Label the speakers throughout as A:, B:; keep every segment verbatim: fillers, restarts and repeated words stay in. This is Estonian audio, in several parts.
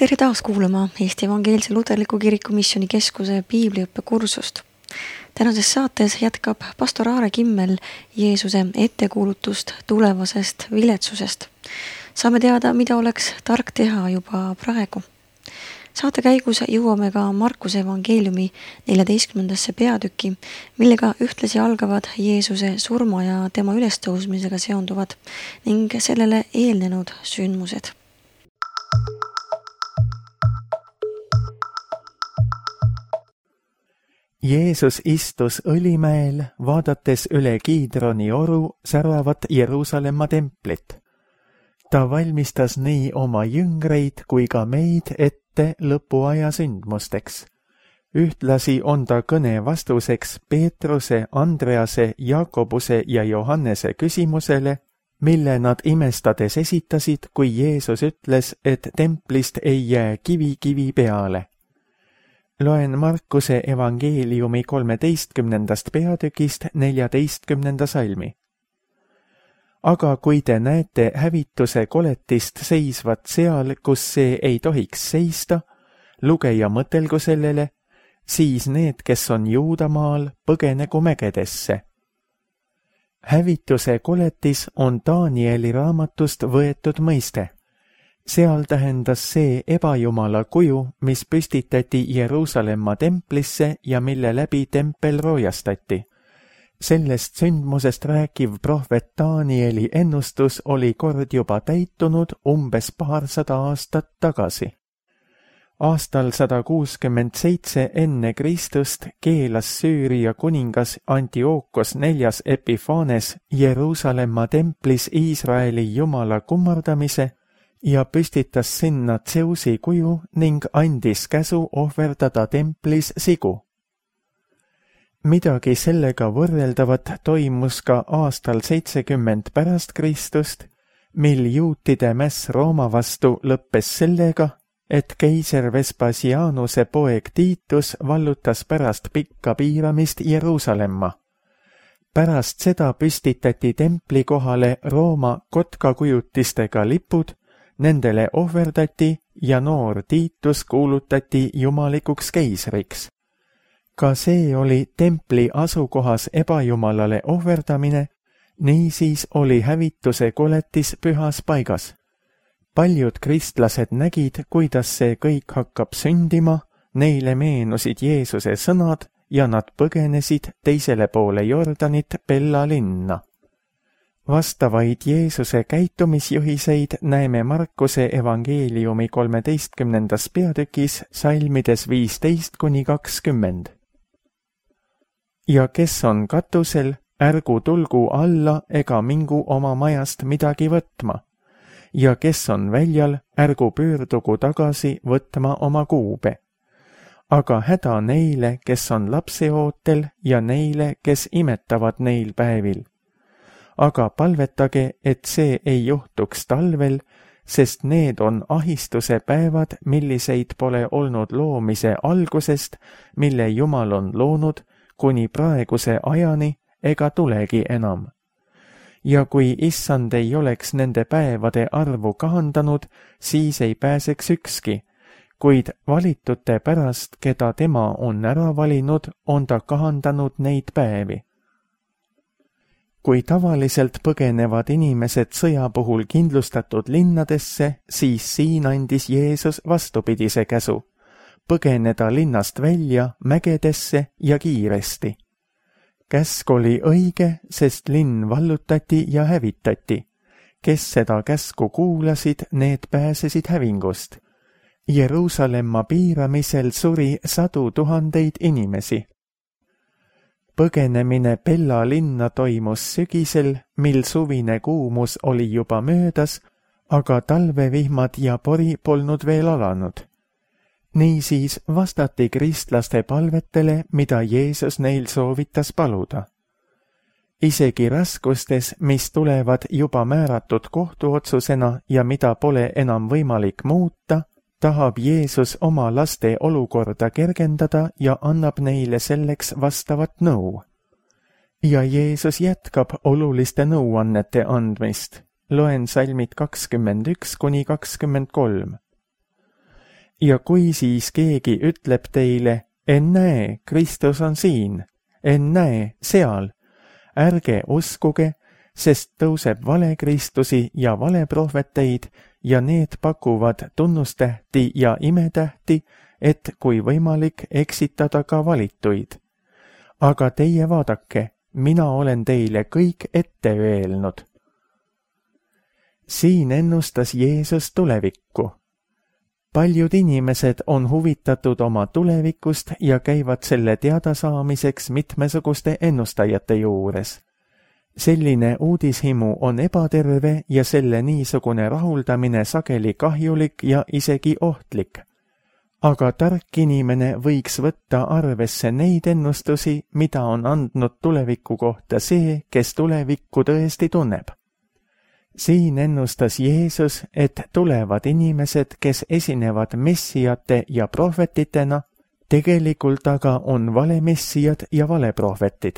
A: Tere taas kuulama Eesti Evangeelse Luterliku Kiriku Missioonikeskuse piibliõppekursust. Tänases saates jätkab pastor Aare Kimmel Jeesuse ettekuulutust tulevasest viletsusest. Saame teada, mida oleks tark teha juba praegu. Saate käigus jõuame ka Markuse evangeeliumi neljateistkümnendasse peatükki, millega ühtlasi algavad Jeesuse surma ja tema ülestõusmisega seonduvad ning sellele eelnenud sündmused.
B: Jeesus istus õlimäel, vaadates üle Kiidroni oru säravat Jeruusalemma templit. Ta valmistas nii oma jüngreid kui ka meid ette lõpuaja sündmusteks. Ühtlasi on ta kõne vastuseks Peetruse, Andrease, Jakobuse ja Johannese küsimusele, mille nad imestades esitasid, kui Jeesus ütles, et templist ei jää kivi kivi peale. Loen Markuse evangeeliumi kolmeteistkümnendast peatükist neljateistkümnenda salmi. Aga kui te näete hävituse koletist seisvat seal, kus see ei tohiks seista, lugeja mõtelgu sellele, siis need, kes on Juudamaal, põgenegu mägedesse. Hävituse koletis on Danieli raamatust võetud mõiste. Seal tähendas see ebajumala kuju, mis püstitati Jeruusalemma templisse ja mille läbi tempel roojastati. Sellest sündmusest rääkiv prohvet Danieli ennustus oli kord juba täitunud umbes paarsada aastat tagasi. Aastal sada kuuskümmend seitse enne Kristust keelas Süüria kuningas Antiookos neljas Epifanes Jeruusalemma templis Iisraeli jumala kummardamise ja püstitas sinna Tseusi kuju ning andis käsu ohverdada templis sigu. Midagi sellega võrreldavat toimus ka aastal seitsekümmend pärast Kristust, mil juutide mäss Rooma vastu lõppes sellega, et keiser Vespasianuse poeg Tiitus vallutas pärast pikka piiramist Jeruusalemma. Pärast seda püstitati templi kohale Rooma kotkakujutistega lipud, nendele ohverdati ja noor Tiitus kuulutati jumalikuks keisriks. Ka see oli templi asukohas ebajumalale ohverdamine, niisiis oli hävituse koletis pühas paigas. Paljud kristlased nägid, kuidas see kõik hakkab sündima, neile meenusid Jeesuse sõnad ja nad põgenesid teisele poole Jordanit Pella linna. Vastavaid Jeesuse käitumisjuhiseid näeme Markuse evangeeliumi kolmeteistkümnendas peatükis salmides viisteist kuni kakskümmend. Ja kes on katusel, ärgu tulgu alla ega mingu oma majast midagi võtma. Ja kes on väljal, ärgu pöördugu tagasi võtma oma kuube. Aga häda neile, kes on lapseootel ja neile, kes imetavad neil päevil. Aga palvetage, et see ei juhtuks talvel, sest need on ahistuse päevad, milliseid pole olnud loomise algusest, mille Jumal on loonud, kuni praeguse ajani ega tulegi enam. Ja kui issand ei oleks nende päevade arvu kahandanud, siis ei pääseks ükski, kuid valitute pärast, keda tema on ära valinud, on ta kahandanud neid päevi. Kui tavaliselt põgenevad inimesed sõja puhul kindlustatud linnadesse, siis siin andis Jeesus vastupidise käsu, põgeneda linnast välja mägedesse ja kiiresti. Käsk oli õige, sest linn vallutati ja hävitati. Kes seda käsku kuulasid, need pääsesid hävingust. Jeruusalemma piiramisel suri sadu tuhandeid inimesi. Põgenemine Pella linna toimus sügisel, mil suvine kuumus oli juba möödas, aga talvevihmad ja pori polnud veel alanud. Niisiis vastati kristlaste palvetele, mida Jeesus neil soovitas paluda. Isegi raskustes, mis tulevad juba määratud kohtuotsusena ja mida pole enam võimalik muuta, tahab Jeesus oma laste olukorda kergendada ja annab neile selleks vastavat nõu. Ja Jeesus jätkab oluliste nõuannete andmist. Loen salmid kakskümmend üks kuni kakskümmend kolm. Ja kui siis keegi ütleb teile, ennäe, Kristus on siin, ennäe, seal, ärge uskuge, sest tõuseb valekristusi ja valeprohveteid ja need pakuvad tunnustähti ja imetähti, et kui võimalik eksitada ka valituid. Aga teie vaadake, mina olen teile kõik ette öelnud. Siin ennustas Jeesus tulevikku. Paljud inimesed on huvitatud oma tulevikust ja käivad selle teadasaamiseks mitmesuguste ennustajate juures. Selline uudishimu on ebaterve ja selle niisugune rahuldamine sageli kahjulik ja isegi ohtlik. Aga tark inimene võiks võtta arvesse neid ennustusi, mida on andnud tuleviku kohta see, kes tulevikku tõesti tunneb. Siin ennustas Jeesus, et tulevad inimesed, kes esinevad messijate ja prohvetitena, tegelikult aga on valemessijad ja valeprohvetid.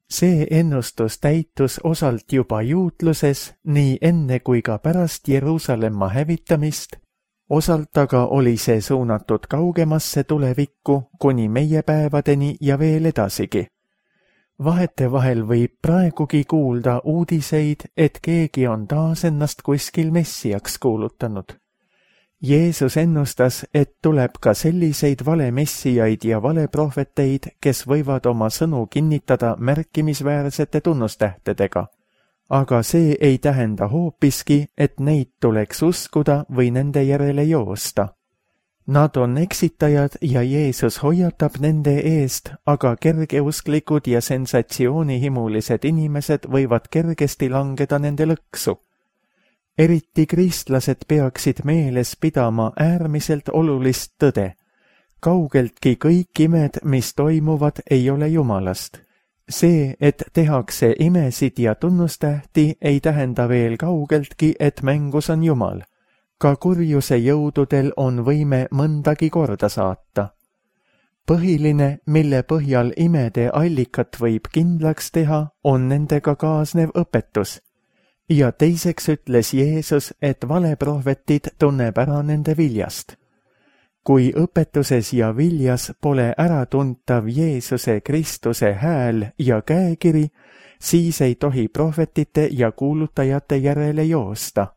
B: See ennustus täitus osalt juba juutluses, nii enne kui ka pärast Jeruusalemma hävitamist, osalt aga oli see suunatud kaugemasse tulevikku kuni meie päevadeni ja veel edasigi. Vahetevahel võib praegugi kuulda uudiseid, et keegi on taas ennast kuskil messijaks kuulutanud. Jeesus ennustas, et tuleb ka selliseid valemessijaid ja valeprohveteid, kes võivad oma sõnu kinnitada märkimisväärsete tunnustähtedega. Aga see ei tähenda hoopiski, et neid tuleks uskuda või nende järele joosta. Nad on eksitajad ja Jeesus hoiatab nende eest, aga kergeusklikud ja sensatsioonihimulised inimesed võivad kergesti langeda nende lõksu. Eriti kristlased peaksid meeles pidama äärmiselt olulist tõde. Kaugeltki kõik imed, mis toimuvad, ei ole Jumalast. See, et tehakse imesid ja tunnustähti, ei tähenda veel kaugeltki, et mängus on Jumal. Ka kurjuse jõududel on võime mõndagi korda saata. Põhiline, mille põhjal imede allikat võib kindlaks teha, on nendega kaasnev õpetus. Ja teiseks ütles Jeesus, et valeprohvetid tunneb ära nende viljast. Kui õpetuses ja viljas pole äratuntav Jeesuse Kristuse hääl ja käekiri, siis ei tohi prohvetite ja kuulutajate järele joosta.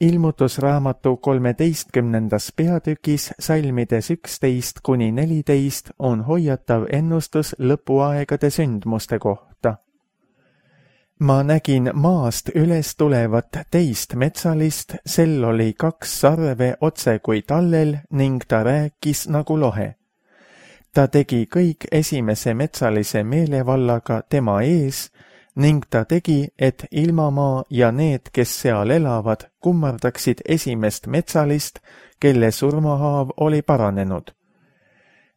B: Ilmutusraamatu kolmeteistkümnendas peatükis salmides üksteist kuni neliteist on hoiatav ennustus lõpuaegade sündmuste kohta. Ma nägin maast üles tulevat teist metsalist, sel oli kaks sarve otse kui tallel ning ta rääkis nagu lohe. Ta tegi kõik esimese metsalise meelevallaga tema ees ning ta tegi, et ilmamaa ja need, kes seal elavad, kummardaksid esimest metsalist, kelle surmahaav oli paranenud.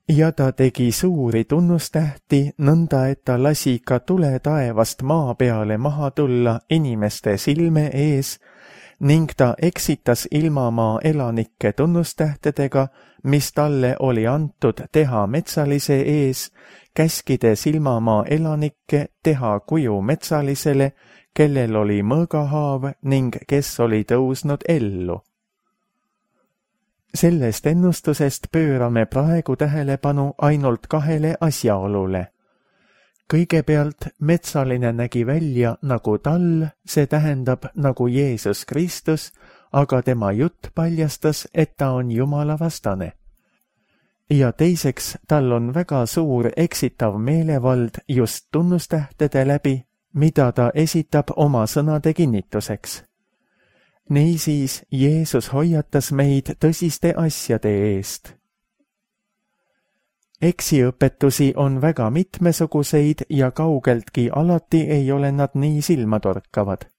B: Ja ta tegi suuri tunnustähti, nõnda et ta lasi ka tule taevast maa peale maha tulla inimeste silme ees, ning ta eksitas ilmamaa elanikke tunnustähtedega, mis talle oli antud teha metsalise ees, käskides ilmamaa elanikke teha kuju metsalisele, kellel oli mõõgahaav ning kes oli tõusnud ellu. Sellest ennustusest pöörame praegu tähelepanu ainult kahele asjaolule. Kõigepealt metsaline nägi välja nagu tall, see tähendab nagu Jeesus Kristus, aga tema jutt paljastas, et ta on Jumala vastane. Ja teiseks, tal on väga suur eksitav meelevald just tunnustähtede läbi, mida ta esitab oma sõnade kinnituseks. Niisiis Jeesus hoiatas meid tõsiste asjade eest. Eksiõpetusi on väga mitmesuguseid ja kaugeltki alati ei ole nad nii silmatorkavad.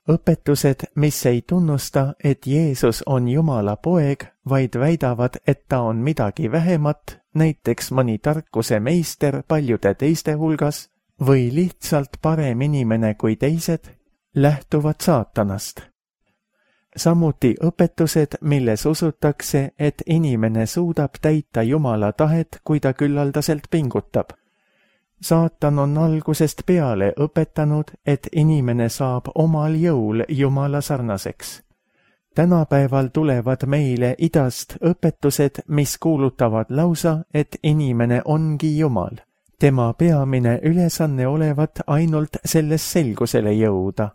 B: Õpetused, mis ei tunnusta, et Jeesus on Jumala poeg, vaid väidavad, et ta on midagi vähemat, näiteks mõni tarkuse meister paljude teiste hulgas, või lihtsalt parem inimene kui teised, lähtuvad saatanast. Samuti õpetused, milles usutakse, et inimene suudab täita Jumala tahet, kui ta küllaldaselt pingutab. Saatan on algusest peale õpetanud, et inimene saab omal jõul Jumala sarnaseks. tänapäeval tulevad meile idast õpetused, mis kuulutavad lausa, et inimene ongi Jumal. Tema peamine ülesanne olevat ainult selles selgusele jõuda.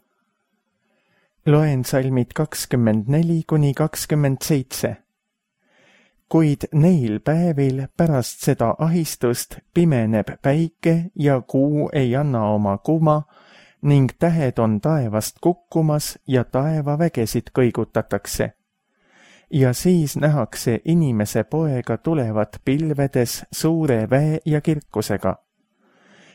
B: Loen salmid kakskümmend neli kuni kakskümmend seitse. Kuid neil päevil pärast seda ahistust pimeneb päike ja kuu ei anna oma kuma ning tähed on taevast kukkumas ja taevavägesid kõigutatakse. Ja siis nähakse inimese poega tulevat pilvedes suure väe ja kirkusega.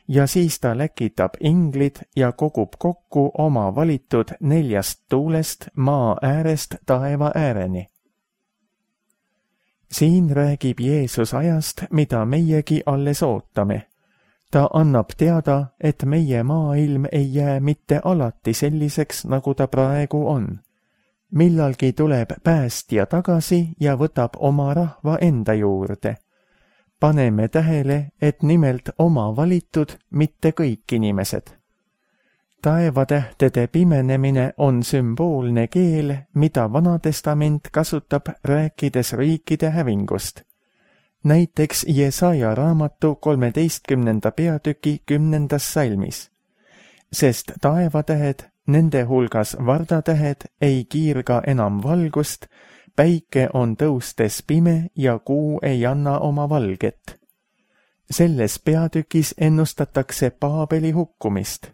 B: Ja siis ta läkitab inglid ja kogub kokku oma valitud neljast tuulest maa äärest taeva ääreni. Siin räägib Jeesus ajast, mida meiegi alles ootame. Ta annab teada, et meie maailm ei jää mitte alati selliseks, nagu ta praegu on. Millalgi tuleb päästja tagasi ja võtab oma rahva enda juurde. Paneme tähele, et nimelt oma valitud, mitte kõik inimesed. Taevatähtede pimenemine on sümboolne keel, mida Vanatestament kasutab rääkides riikide hävingust. Näiteks Jesaja raamatu kolmeteistkümnenda peatüki kümnendas salmis. Sest taevatähed, nende hulgas vardatähed, ei kiirga enam valgust, päike on tõustes pime ja kuu ei anna oma valget. Selles peatükis ennustatakse Paabeli hukkumist.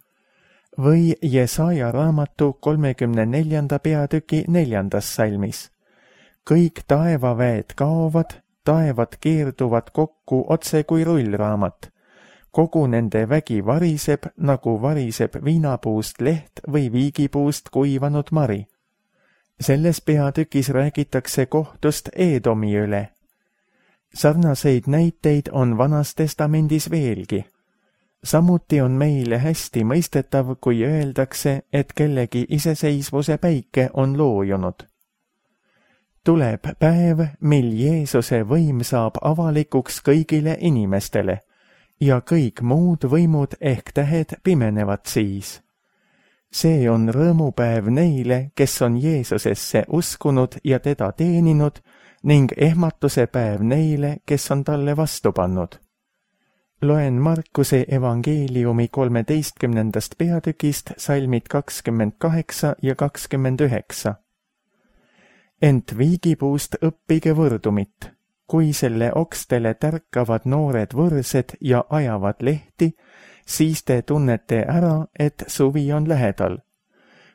B: Või Jesaja raamatu kolmekümne neljanda peatüki neljandas salmis. Kõik taevaväed kaovad, taevad keerduvad kokku otse kui rullraamat. Kogu nende vägi variseb, nagu variseb viinapuust leht või viigipuust kuivanud mari. Selles peatükis räägitakse kohtust Eedomi üle. Sarnaseid näiteid on Vanas Testamendis veelgi. Samuti on meile hästi mõistetav, kui öeldakse, et kellegi iseseisvuse päike on loojunud. Tuleb päev, mil Jeesuse võim saab avalikuks kõigile inimestele ja kõik muud võimud ehk tähed pimenevad siis. See on rõõmupäev neile, kes on Jeesusesse uskunud ja teda teeninud ning ehmatuse päev neile, kes on talle vastu pannud. Loen Markuse evangeeliumi kolmeteistkümnendast peatükist salmid kakskümmend kaheksa ja kakskümmend üheksa. Ent viigipuust õppige võrdumit, kui selle okstele tärkavad noored võrsed ja ajavad lehti, siis te tunnete ära, et suvi on lähedal.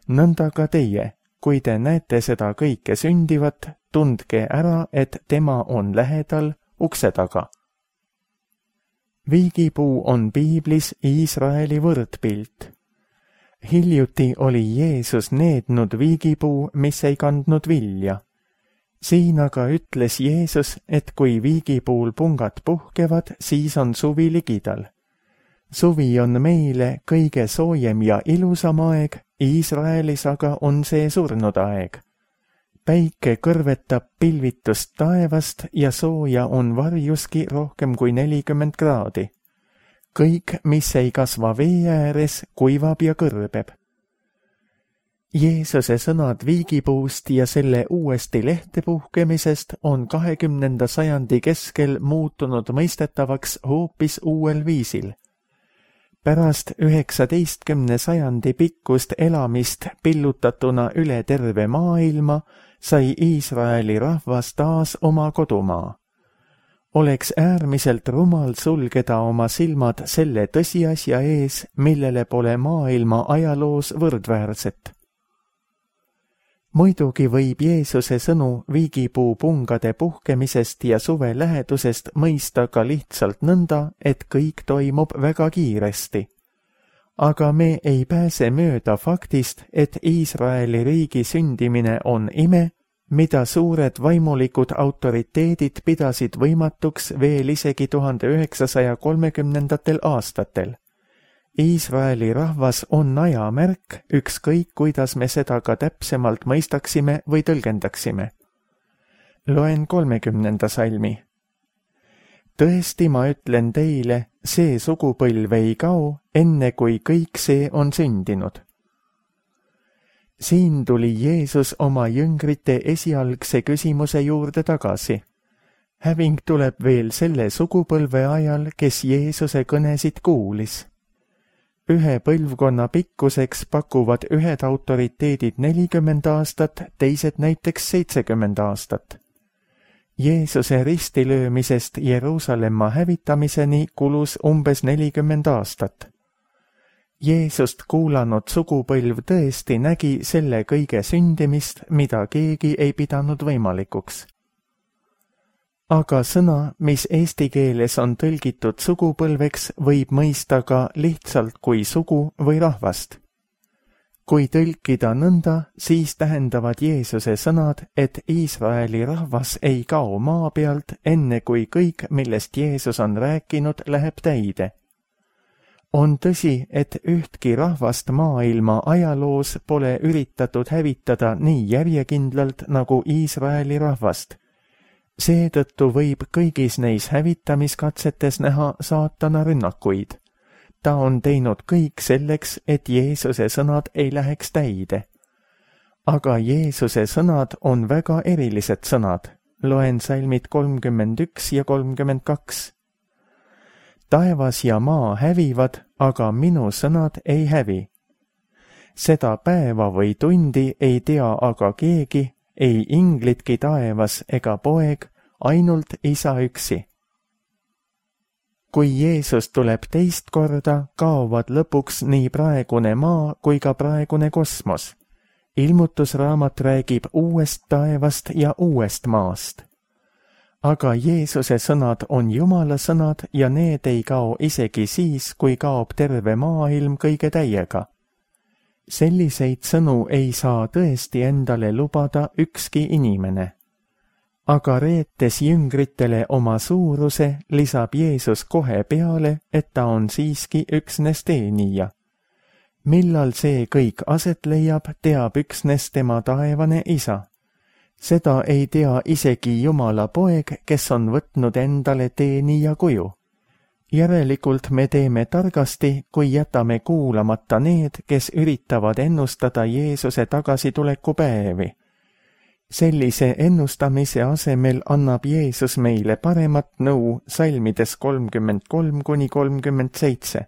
B: Nõnda ka teie, kui te näete seda kõike sündivat, tundke ära, et tema on lähedal ukse taga. Viigipuu on piiblis Iisraeli võrdpilt. Hiljuti oli Jeesus neednud viigipuu, mis ei kandnud vilja. Siin aga ütles Jeesus, et kui viigipuul pungad puhkevad, siis on suvi ligidal. Suvi on meile kõige soojem ja ilusam aeg, Iisraelis aga on see surnud aeg. Päike kõrvetab pilvitust taevast ja sooja on varjuski rohkem kui nelikümmend kraadi. Kõik, mis ei kasva vee ääres, kuivab ja kõrbeb. Jeesuse sõnad viigipuust ja selle uuesti lehte puhkemisest on kahekümnenda sajandi keskel muutunud mõistetavaks hoopis uuel viisil. Pärast üheksateistkümne sajandi pikkust elamist pillutatuna üle terve maailma sai Iisraeli rahvas taas oma kodumaa. Oleks äärmiselt rumal sulgeda oma silmad selle tõsiasja ees, millele pole maailma ajaloos võrdväärset. Muidugi võib Jeesuse sõnu viigipuu pungade puhkemisest ja suve lähedusest mõista ka lihtsalt nõnda, et kõik toimub väga kiiresti. Aga me ei pääse mööda faktist, et Iisraeli riigi sündimine on ime, mida suured vaimulikud autoriteedid pidasid võimatuks veel isegi tuhande üheksasaja kolmekümnendatel aastatel. Iisraeli rahvas on ajamärk, ükskõik kuidas me seda ka täpsemalt mõistaksime või tõlgendaksime. Loen kolmekümnenda salmi. Tõesti, ma ütlen teile, see sugupõlv ei kao, enne kui kõik see on sündinud. siin tuli Jeesus oma jüngrite esialgse küsimuse juurde tagasi. Häving tuleb veel selle sugupõlve ajal, kes Jeesuse kõnesid kuulis. Ühe põlvkonna pikkuseks pakuvad ühed autoriteedid nelikümmend aastat, teised näiteks seitsekümmend aastat. Jeesuse ristilöömisest Jeruusalemma hävitamiseni kulus umbes nelikümmend aastat. Jeesust kuulanud sugupõlv tõesti nägi selle kõige sündimist, mida keegi ei pidanud võimalikuks. Aga sõna, mis eesti keeles on tõlgitud sugupõlveks, võib mõista ka lihtsalt kui sugu või rahvast. Kui tõlkida nõnda, siis tähendavad Jeesuse sõnad, et Iisraeli rahvas ei kao maa pealt, enne kui kõik, millest Jeesus on rääkinud, läheb täide. On tõsi, et ühtki rahvast maailma ajaloos pole üritatud hävitada nii järjekindlalt nagu Iisraeli rahvast. Seetõttu võib kõigis neis hävitamiskatsetes näha saatana rünnakuid. Ta on teinud kõik selleks, et Jeesuse sõnad ei läheks täide. Aga Jeesuse sõnad on väga erilised sõnad. Loen salmid kolmkümmend üks ja kolmkümmend kaks. Taevas ja maa hävivad, aga minu sõnad ei hävi. Seda päeva või tundi ei tea aga keegi, ei inglitki taevas ega poeg, ainult Isa üksi. Kui Jeesus tuleb teist korda, kaovad lõpuks nii praegune maa kui ka praegune kosmos. Ilmutusraamat räägib uuest taevast ja uuest maast. Aga Jeesuse sõnad on Jumala sõnad ja need ei kao isegi siis, kui kaob terve maailm kõige täiega. Selliseid sõnu ei saa tõesti endale lubada ükski inimene. Aga reetes jüngritele oma suuruse, lisab Jeesus kohe peale, et ta on siiski üksnes teenija. Millal see kõik aset leiab, teab üksnes tema taevane Isa. Seda ei tea isegi Jumala poeg, kes on võtnud endale teenija kuju. Järelikult me teeme targasti, kui jätame kuulamata need, kes üritavad ennustada Jeesuse tagasituleku päevi. Sellise ennustamise asemel annab Jeesus meile paremat nõu salmides kolmkümmend kolm kuni kolmkümmend seitse.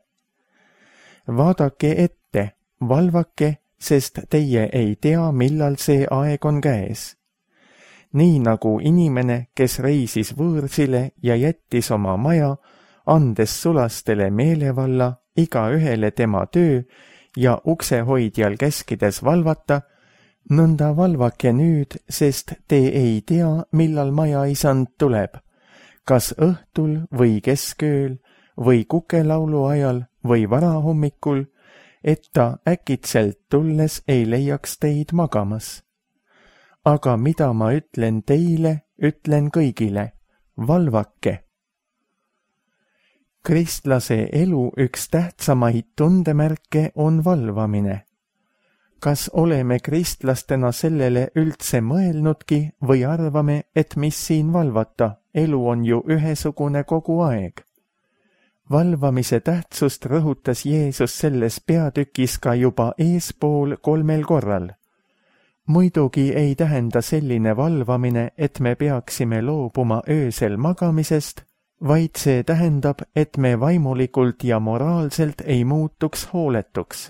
B: Vaadake ette, valvake, sest teie ei tea, millal see aeg on käes. Nii nagu inimene, kes reisis võõrsile ja jättis oma maja, andes sulastele meelevalla, iga ühele tema töö ja uksehoidjal käskides valvata, nõnda valvake nüüd, sest te ei tea, millal majaisand tuleb, kas õhtul või keskööl või kukelaulu ajal või varahommikul, et ta äkitselt tulles ei leiaks teid magamas. Aga mida ma ütlen teile, ütlen kõigile, valvake. Kristlase elu üks tähtsamaid tundemärke on valvamine. Kas oleme kristlastena sellele üldse mõelnudki või arvame, et mis siin valvata, elu on ju ühesugune kogu aeg? Valvamise tähtsust rõhutas Jeesus selles peatükis ka juba eespool kolmel korral. Muidugi ei tähenda selline valvamine, et me peaksime loobuma öösel magamisest, vaid see tähendab, et me vaimulikult ja moraalselt ei muutuks hooletuks.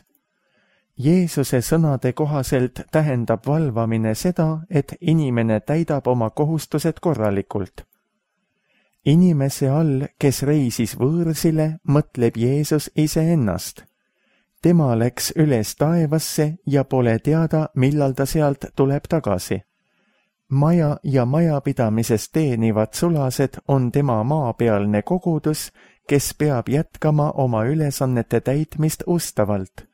B: Jeesuse sõnade kohaselt tähendab valvamine seda, et inimene täidab oma kohustused korralikult. Inimese all, kes reisis võõrsile, mõtleb Jeesus iseennast. Tema läks üles taevasse ja pole teada, millal ta sealt tuleb tagasi. Maja ja majapidamises teenivad sulased on tema maapealne kogudus, kes peab jätkama oma ülesannete täitmist ustavalt.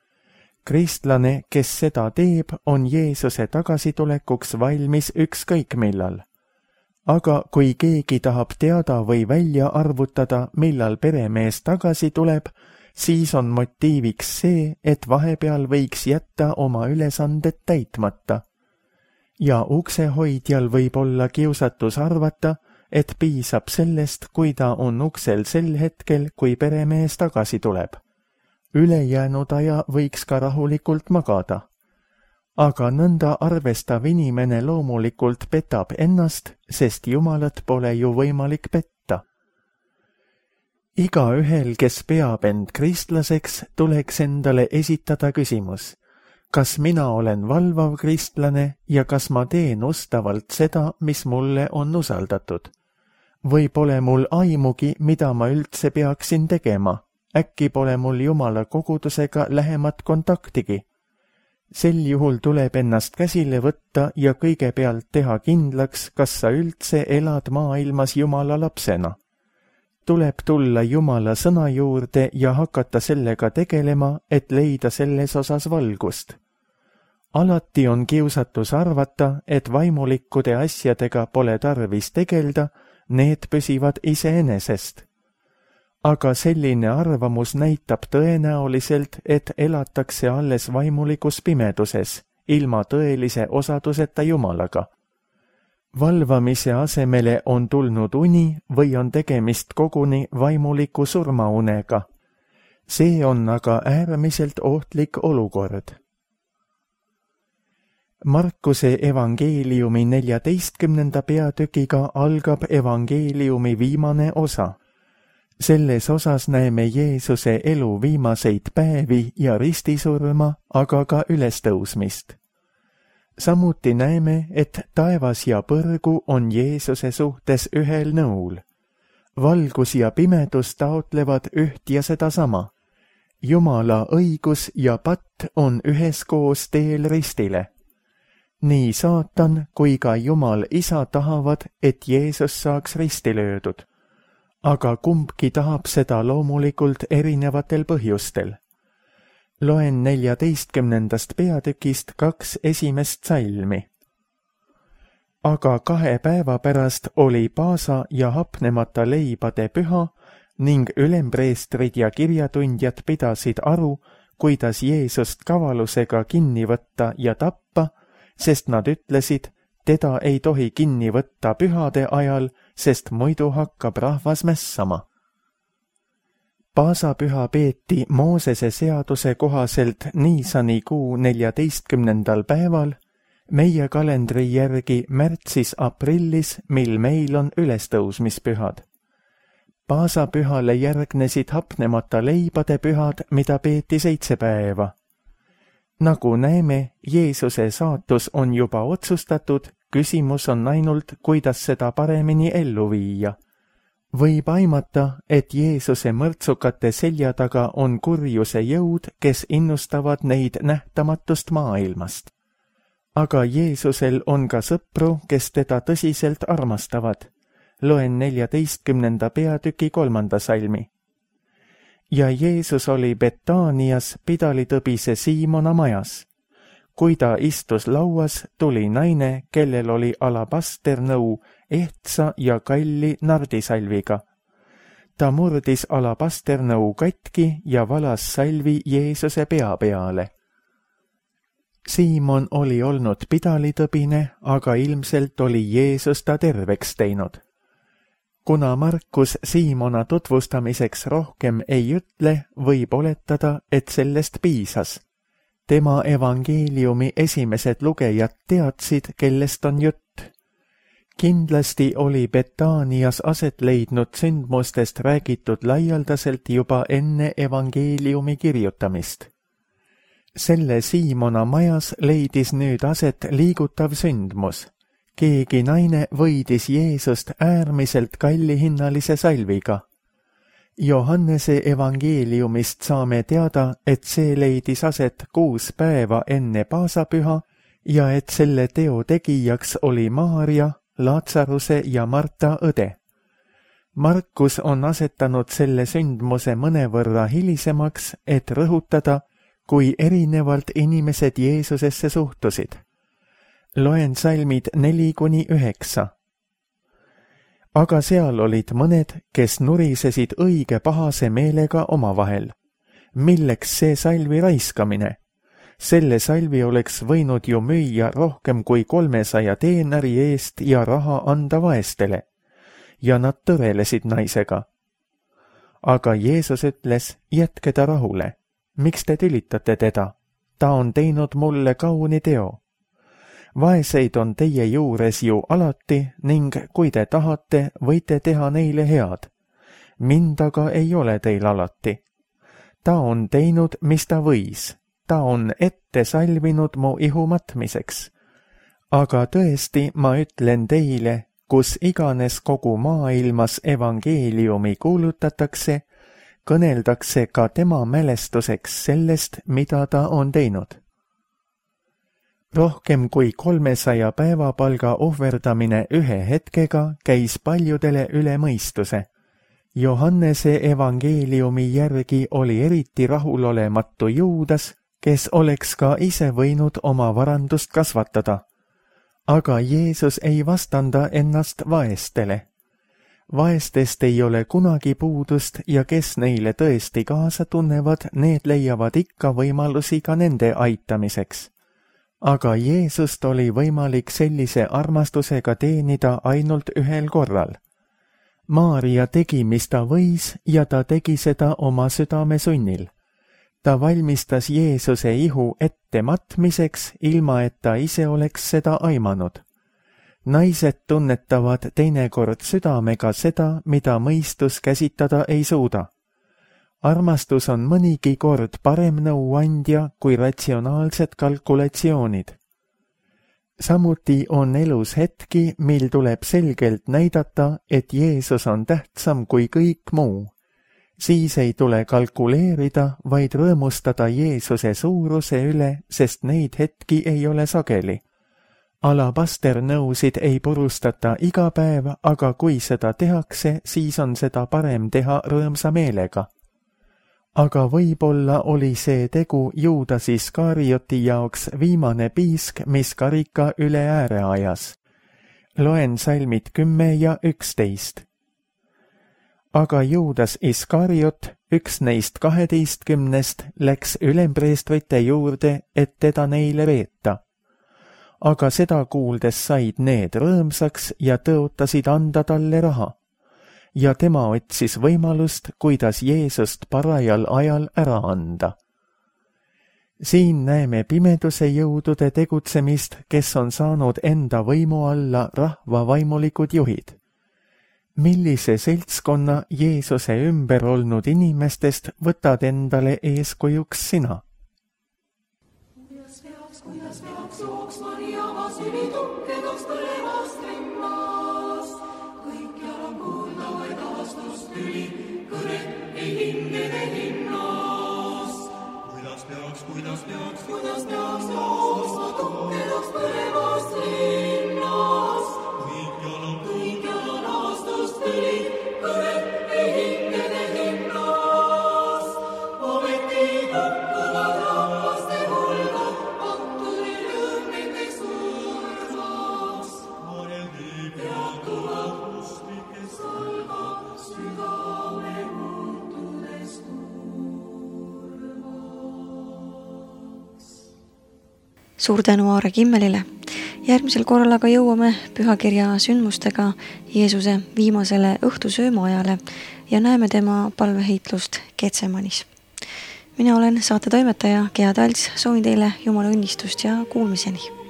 B: Kristlane, kes seda teeb, on Jeesuse tagasitulekuks valmis ükskõik millal. Aga kui keegi tahab teada või välja arvutada, millal peremees tagasi tuleb, siis on motiiviks see, et vahepeal võiks jätta oma ülesanded täitmata. Ja uksehoidjal võib olla kiusatus arvata, et piisab sellest, kui ta on uksel sel hetkel, kui peremees tagasi tuleb. Ülejäänud aja võiks ka rahulikult magada. aga nõnda arvestav inimene loomulikult petab ennast, sest Jumalat pole ju võimalik petta. Igaühel, kes peab end kristlaseks, tuleks endale esitada küsimus, kas mina olen valvav kristlane ja kas ma teen ustavalt seda, mis mulle on usaldatud? Või pole mul aimugi, mida ma üldse peaksin tegema? Äkki pole mul Jumala kogudusega lähemat kontaktigi? Sel juhul tuleb ennast käsile võtta ja kõigepealt teha kindlaks, kas sa üldse elad maailmas Jumala lapsena. Tuleb tulla Jumala sõna juurde ja hakata sellega tegelema, et leida selles osas valgust. Alati on kiusatus arvata, et vaimulikkude asjadega pole tarvis tegelda, need püsivad iseenesest. Aga selline arvamus näitab tõenäoliselt, et elatakse alles vaimulikus pimeduses, ilma tõelise osaduseta Jumalaga. Valvamise asemele on tulnud uni või on tegemist koguni vaimuliku surmaunega. See on aga äärmiselt ohtlik olukord. Markuse evangeeliumi neljateistkümnenda peatükiga algab evangeeliumi viimane osa. Selles osas näeme Jeesuse elu viimaseid päevi ja ristisurma, aga ka ülestõusmist. Samuti näeme, et taevas ja põrgu on Jeesuse suhtes ühel nõul. Valgus ja pimedus taotlevad üht ja sedasama. Jumala õigus ja patt on üheskoos teel ristile. Nii saatan kui ka Jumal isa tahavad, et Jeesus saaks risti löödud. Aga kumbki tahab seda loomulikult erinevatel põhjustel. Loen neljateistkümnendast peatükist kaks esimest salmi. Aga kahe päeva pärast oli paasa ja hapnemata leibade püha ning ülempreestrid ja kirjatundjad pidasid aru, kuidas Jeesust kavalusega kinni võtta ja tappa, sest nad ütlesid, teda ei tohi kinni võtta pühade ajal, sest muidu hakkab rahvas mässama. Paasapüha peeti Moosese seaduse kohaselt Niisani kuu neljateistkümnendal päeval, meie kalendri järgi märtsis-aprillis, mil meil on ülestõusmispühad. Paasapühale järgnesid hapnemata leibade pühad, mida peeti seitse päeva. Nagu näeme, Jeesuse saatus on juba otsustatud, küsimus on ainult, kuidas seda paremini ellu viia. Võib aimata, et Jeesuse mõrtsukate selja taga on kurjuse jõud, kes innustavad neid nähtamatust maailmast. Aga Jeesusel on ka sõpru, kes teda tõsiselt armastavad. Loen neljateistkümnenda peatüki kolmanda salmi. Ja Jeesus oli Betaanias pidalitõbise Siimona majas. Kui ta istus lauas, tuli naine, kellel oli alabasternõu ehtsa ja kalli nardisalviga. Ta murdis alabasternõu katki ja valas salvi Jeesuse pea peale. Siimon oli olnud pidalitõbine, aga ilmselt oli Jeesus ta terveks teinud. Kuna Markus Siimona tutvustamiseks rohkem ei ütle, võib oletada, et sellest piisas. Tema evangeeliumi esimesed lugejad teadsid, kellest on jutt. Kindlasti oli Betaanias aset leidnud sündmustest räägitud laialdaselt juba enne evangeeliumi kirjutamist. Selle Siimona majas leidis nüüd aset liigutav sündmus. Keegi naine võidis Jeesust äärmiselt kallihinnalise salviga. Johannese evangeeliumist saame teada, et see leidis aset kuus päeva enne paasapüha ja et selle teo tegijaks oli Maaria, Laatsaruse ja Marta õde. Markus on asetanud selle sündmuse mõnevõrra hilisemaks, et rõhutada, kui erinevalt inimesed Jeesusesse suhtusid. Loen salmid neli kuni üheksa. Aga seal olid mõned, kes nurisesid õige pahase meelega omavahel. Milleks see salvi raiskamine? Selle salvi oleks võinud ju müüa rohkem kui kolmesaja teenari eest ja raha anda vaestele. Ja nad tõvelesid naisega. Aga Jeesus ütles, jätke ta rahule. Miks te tülitate teda? ta on teinud mulle kauni teo. Vaeseid on teie juures ju alati ning kui te tahate, võite teha neile head. Mind aga ei ole teil alati. Ta on teinud, mis ta võis. Ta on ette salvinud mu ihu matmiseks. Aga tõesti ma ütlen teile, kus iganes kogu maailmas evangeeliumi kuulutatakse, kõneldakse ka tema mälestuseks sellest, mida ta on teinud. Rohkem kui kolmesaja päevapalga ohverdamine ühe hetkega käis paljudele üle mõistuse. Johannese evangeeliumi järgi oli eriti rahulolematu Juudas, kes oleks ka ise võinud oma varandust kasvatada. Aga Jeesus ei vastanda ennast vaestele. Vaestest ei ole kunagi puudust ja kes neile tõesti kaasa tunnevad, need leiavad ikka võimalusi ka nende aitamiseks. Aga Jeesust oli võimalik sellise armastusega teenida ainult ühel korral. Maaria tegi, mis ta võis ja ta tegi seda oma südame sunnil. Ta valmistas Jeesuse ihu ette matmiseks, ilma et ta ise oleks seda aimanud. Naised tunnetavad teinekord südamega seda, mida mõistus käsitada ei suuda. Armastus on mõnigi kord parem nõuandja kui ratsionaalsed kalkulatsioonid. Samuti on elus hetki, mil tuleb selgelt näidata, et Jeesus on tähtsam kui kõik muu. Siis ei tule kalkuleerida, vaid rõõmustada Jeesuse suuruse üle, sest neid hetki ei ole sageli. Alabasternõusid ei purustata iga päev, aga kui seda tehakse, siis on seda parem teha rõõmsa meelega. Aga võib-olla oli see tegu Juudas Iskarioti jaoks viimane piisk, mis karika üle ääre ajas. Loen salmid kümme ja üksteist. Aga Juudas Iskariot, üks neist kaheteistkümnest, läks ülempreestrite juurde, et teda neile veeta. Aga seda kuuldes said need rõõmsaks ja tõotasid anda talle raha. Ja tema otsis võimalust, kuidas Jeesust parajal ajal ära anda. Siin näeme pimeduse jõudude tegutsemist, kes on saanud enda võimu alla rahva vaimulikud juhid. Millise seltskonna Jeesuse ümber olnud inimestest võtad endale eeskujuks sina?
C: Kuidas peaks jooksma nii avasini tukkedaks põlevast rinnast? Kõikjal on kuulda vaid avastust tüli, kõnet ei hingede hinnast. Kuidas peaks, kuidas peaks, kuidas peaks jooksma tukkedaks põlevast rinnast? Kõikjal on, kõikjal on avastust tüli, kõnet ei hingede hinnast. Ometi kukkuvad rahvaste hulga,
A: suur tänu Aare Kimmelile. Järgmisel korral aga jõuame pühakirja sündmustega Jeesuse viimasele õhtusöömaajale ja näeme tema palveheitlust Getsemanis. Mina olen saate toimetaja Gea Talts, soovin teile Jumala õnnistust ja kuulmiseni.